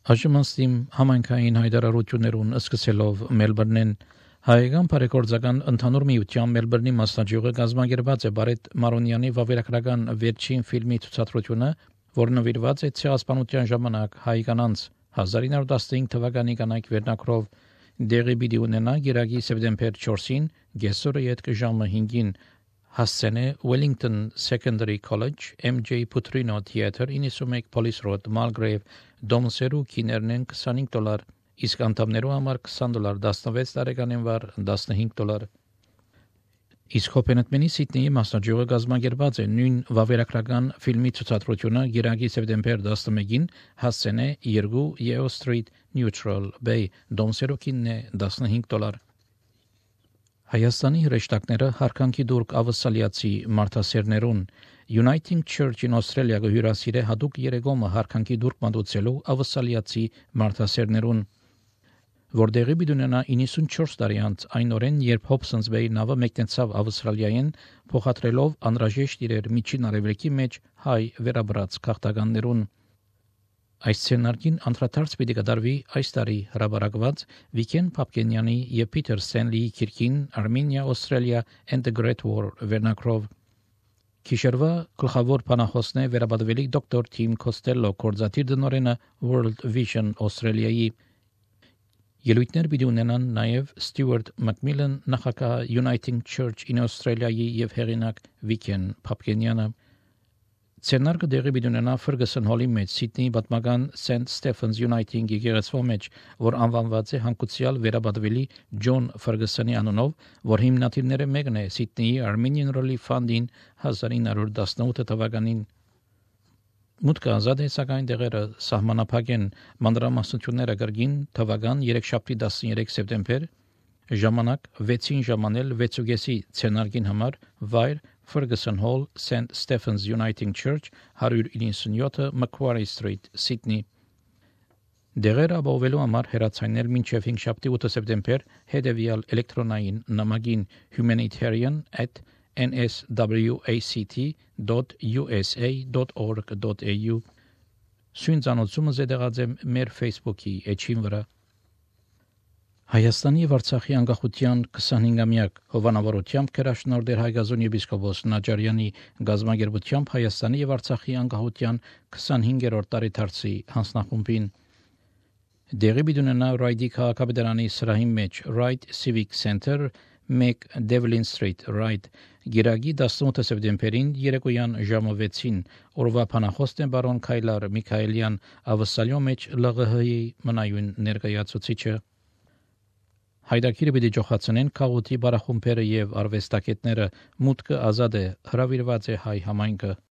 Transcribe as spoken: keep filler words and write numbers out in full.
Այժմ համայնքային հայտարարություններուն սկսելով Մելբուրնեն հայկական բարեգործական ընդհանուր միության Մելբուրնի մասնաճյուղը կազմակերպած է Բարետ Մարոնյանի վավերագրական վերջին ֆիլմի ցուցադրությունը, որը նվիրված է ցեղասպանության ժամանակ հայկանանց հազար իննյակ տասնհինգ թվականի կանայք վերնակրով դեղի պիտի ունենա գիրագի սեպտեմբեր չորսին գեսորը յետք ժամը հինգին հասցենե Wellington Secondary College M J Putrino Theater իննսունմեկ Police Road Mulgrave Դոմսերու քիներնեն քսանհինգ դոլար իսկ անդամներու համար քսան դոլար տասնվեց տարեկանին վար տասնհինգ դոլար իսկ հոբենտմենի Սիդնեի մասնաճյուղը կազմակերպած է նույն վավերագրական ֆիլմի ցուցադրությունը գիրագի սեպտեմբեր տասնմեկին հասցենե երկու Yeo Street Neutral Bay Դոմսերու քիննե տասնհինգ դոլար Հայաստանի հրեշտակները հարկանքի դուրք ավսալիացի մարդասերներուն Uniting Church in Australia գհյուրասիրե հadoop երեգոմը հարկանքի դուրք մատուցելու ավսալիացի մարդասերներուն որտեղի բիդունենա իննսունչորս տարի անց այն օրեն երբ Hobsons Bay նավը մեկնեցավ Ավստրալիայեն փոխադրելով անհրաժեշտ իրեր միջին արևելքի մեջ հայ վերաբրած քաղաքականներուն Այս սցենարկին անդրադարձ պիտի կդարվի այս տարի հրաբարակված Վիկեն Փապկենյանի եւ Փիթեր Սենլիի քիրքին Armenia, Australia and the Great War վերնակրով Քիշերվա գլխավոր բանախոսն է վերաբադվելի դոկտոր Թիմ Կոստելլո կորզատիր դնորենը World Vision Australia-ի Ելույթներ պիտի ունենան նաև Ստյուարտ Մակմիլան նախագահ Uniting Church in Australia-ի եւ հեղինակ Վիկեն Փապկենյանը Ցերնարկը դեղի պիտի ունենա Ferguson Hall-ի մեջ Սիդնեի պատմական Saint Stephen's Uniting եկեղեցու մեջ, որ անվանված է հանկուցյալ վերաբադվելի Ջոն Ferguson-ի անունով, որ հիմնադիրները մեկն է Սիդնեի Armenian Relief Fund-ին հազար ինը հարյուր տասնութ թվականին Մուտքը ազատ է սակայն դեղերը սահմանափակ են մանրամասնությունները գրգին թվական երեքշաբթի տասներեք սեպտեմբեր ժամանակ վեցին ժամանել վեցուգեսի ցենարգին համար վայր Ferguson Hall Saint Stephen's Uniting Church one ninety-seven Macquarie Street Sydney Դեղերը ապահովելու համար հեռացանել մինչև հինգշաբթի ութ սեպտեմբեր հետևյալ էլեկտրոնային նամակին humanitarian at n s w a c t dot u s a dot org dot a u Սույնցանոցումը զետեղած է մեր Facebook-ի էջին վրա Հայաստանի եւ Արցախի անկախության քսանհինգամյակ հովանավորությամբ քրաշնորհ Հայգազոն եպիսկոպոս Նաջարյանի գազագերբությամբ Հայաստանի եւ Արցախի անկախության քսանհինգերորդ տարեդարձի հանձնախումբին Դեղի բիդունենա Ռայդի քաղաքապետարանի սրահի մեջ Right Civic Center մեկ Devlin Street Right Գիրագի տասնութ սեպտեմբերին երեկոյան ժամը վեցին օրվա փանախոսն է բարոն Քայլար Միքայելյան ավսալյո մեջ L G H-ի մնայուն ներկայացուցիչը Հայդակիրը պիտի ջոխացնեն քաղուտի բարախումբերը եւ արվեստագետները մուտքը ազատ է հրավիրված է հայ համայնքը